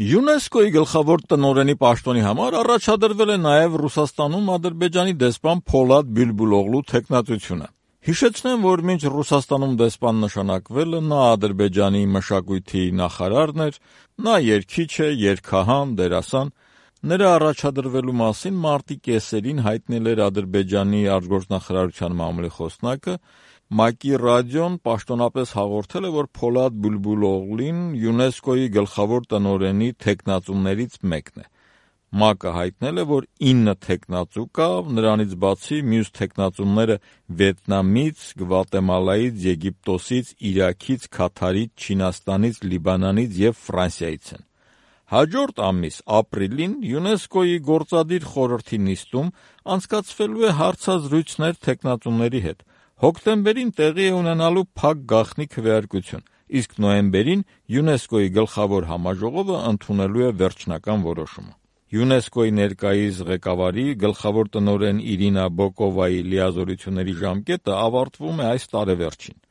ՅՈՒՆԵՍԿՕ-ի գլխավոր տնօրենի պաշտոնի համար առաջադրվել է նաև Ռուսաստանում Ադրբեջանի դեսպան Փոլադ Բյուլբուլօղլու թեկնածությունը։ Հիշեցնեմ, որ մինչ Ռուսաստանում դեսպան նշանակվելը նա Ադրբեջանի մշակույթի նախարարն էր, նա երգիչ է, երգահան, դերասան։ Նրա առաջադրվելու մասին մարտի կեսերին հայտնել էր Ադրբեջանի արտգործնախարարության մամուլի խոսնակը։ ՄԱԿ-ի ռադիոն պաշտոնապես հաղորդել է, որ Փոլադ Բյուլբուլօղլին ՅՈՒՆԵՍԿՕ-ի գլխավոր տնօրենի թեկնածուներից մեկն է։ ՄԱԿ-ը հայտնել է, որ 9 թեկնածու կա, նրանից բացի մյուս թեկնածուները Վիետնամից, Գվատեմալայից, Եգիպտոսից, Իրաքից, Քաթարից, Չինաստանից, Լիբանանից և Ֆրանսիայից են։ Հաջորդ ամիս ապրիլին ՅՈՒՆԵՍԿՕ-ի գործադիր խորհրդի նիստում անցկացվելու է հարցազրույցներ թեկնածուների հետ։ Հոկտեմբերին տեղի է ունենալու փակ գաղտնի քվեարկություն, իսկ նոյեմբերին ՅՈՒՆԵՍԿՕ-ի գլխավոր համաժողովը ընդունելու է վերջնական որոշումը։ ՅՈՒՆԵՍԿՕ-ի ներկայիս ղեկավարի գլխավոր տնօրեն Իրինա Բոկովայի լիազորությունների ժամկետը ավարտվում է այս տարեվերջին։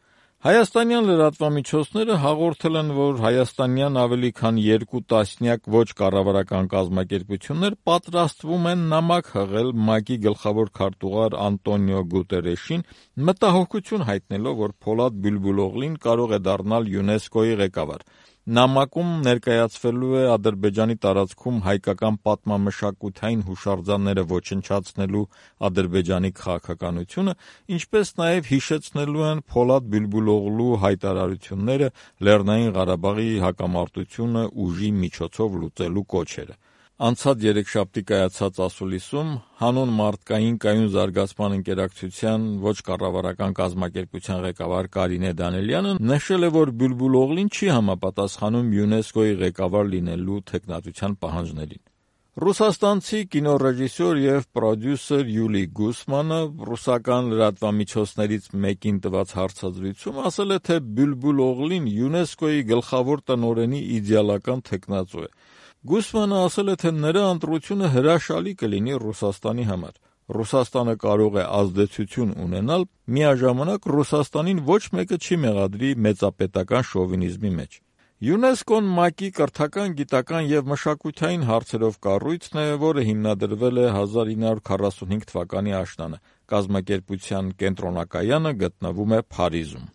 Հայաստանյան լրատվամիջոցները հաղորդել են, որ հայաստանյան ավելի քան 2 տասնյակ ոչ կառավարական կազմակերպություններ պատրաստվում են նամակ հղել ՄԱԿ-ի գլխավոր քարտուղար Անտոնիո Գուտերեշին, մտահոգություն հայտնելով, որ Փոլադ Բյուլբուլօղլին կարող է դառնալ ՅՈՒՆԵՍԿՕ-ի ղեկավար։ Նամակում ներկայացվելու է Ադրբեջանի տարածքում հայկական պատմամշակութային հուշարձանները ոչնչացնելու Ադրբեջանի քաղաքականությունը, ինչպես նաև հիշեցնելու են Փոլադ Բյուլբուլօղլու հայտարարությունները Լեռնային Ղարաբաղի հակամարտությունը ուժի միջոցով լուծելու կոչերը։ Անցած երեքշաբթի կայացած ասուլիսում հանուն մարդկային կայուն զարգացման ընկերակցության ոչ կառավարական կազմակերպության ղեկավար Կարինե Դանիելյանը նշել է, որ Բյուլբուլօղլին չի համապատասխանում ՅՈՒՆԵՍԿՕ-ի ղեկավար լինելու թեկնածության պահանջներին։ Ռուսաստանցի կինոռեժիսոր և պրոդյուսեր Յուլի Գուսմանը ռուսական լրատվամիջոցներից մեկին տված հարցազրույցում ասել է, թե Բյուլբուլօղլին ՅՈՒՆԵՍԿՕ-ի գլխավոր տնօրենի իդեալական թեկնածու է։ Գուսմանը ասել է, թե նրա ընտրությունը հրաշալի կլինի Ռուսաստանի համար։ Ռուսաստանը կարող է ազդեցություն ունենալ, միաժամանակ Ռուսաստանին ոչ մեկը չի մեղադրի մեծապետական շովինիզմի մեջ։ ՅՈՒՆԵՍԿՕ-ն ՄԱԿ-ի կրթական, գիտական և մշակութային հարցերով կառույցն է, որը հիմնադրվել է 1945 թվականի աշնանը։ Կազմակերպության կենտրոնակայանը գտնվում է Փարիզում։